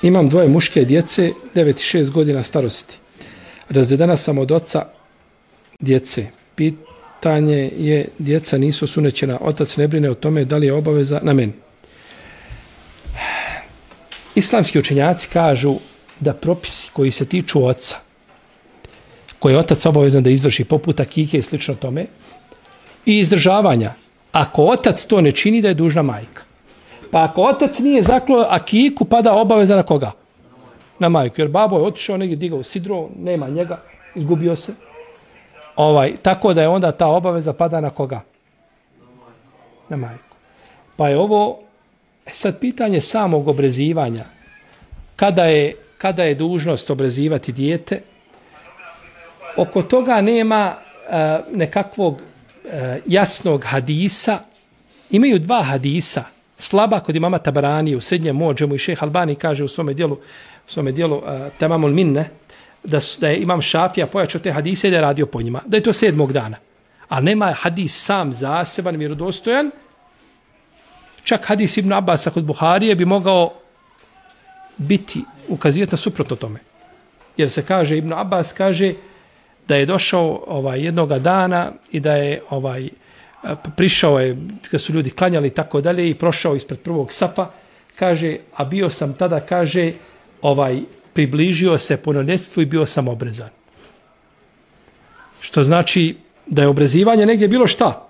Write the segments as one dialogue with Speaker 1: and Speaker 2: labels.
Speaker 1: Imam 2 muške djece, 9 i 6 godina starosti. Razvedena sam od oca djece. Pitanje je, djeca nisu sunećena, otac ne brine o tome da li je obaveza na meni. Islamski učenjaci kažu da propisi koji se tiču oca, koje je otac obavezan da izvrši, poput akike i slično tome, i izdržavanja, ako otac to ne čini, da je dužna majka. Pa ako otac nije zaklao akiku, pada obaveza na koga? Na majku. Jer babo je otišao negdje, digao sidro, nema njega, izgubio se. Tako da je onda ta obaveza pada na koga? Na majku. Pa je ovo sad pitanje samog obrezivanja. Kada je dužnost obrezivati dijete? Oko toga nema nekakvog jasnog hadisa. Imaju 2 hadisa. Slaba kod imama Tabarani u Srednjem Mođemu i šejh Albani kaže u svome dijelu Tamamul Minne da je imam Šafija pojačao te hadise i da je radio po njima. Da je to 7. dana. A nema hadis sam zaseban, vjerodostojan. Čak hadis Ibn Abasa kod Buharije bi mogao ukazivati na suprotno tome. Jer se kaže, Ibn Abbas kaže da je došao jednoga dana i da je prišao je, kad su ljudi klanjali i tako dalje, i prošao ispred prvog safa, kaže, a bio sam tada, kaže, približio se punoljetstvu i bio sam obrezan. Što znači da je obrezivanje negdje bilo šta.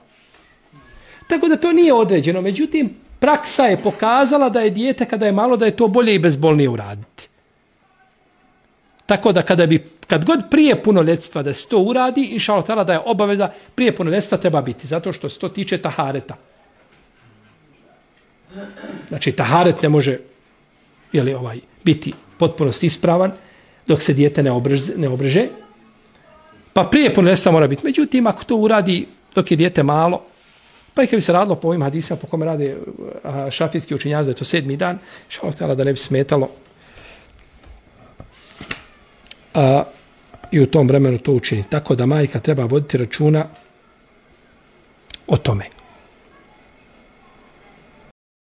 Speaker 1: Tako da to nije određeno. Međutim, praksa je pokazala da je dijete kada je malo, da je to bolje i bezbolnije uraditi. Tako da kad god prije punoljetstva da se to uradi, inša Allah da je obaveza prije punoljetstva treba biti. Zato što se to tiče tahareta. Znači, taharet ne može biti potpunosti ispravan dok se dijete ne obreže. Pa prije punoljetstva mora biti. Međutim, ako to uradi dok je dijete malo, pa i kad bi se radilo po ovim hadisima po kome rade šafijski učenjaci, da je to 7. dan, inša Allah da ne bi smetalo i u tom vremenu to učini. Tako da majka treba voditi računa o tome.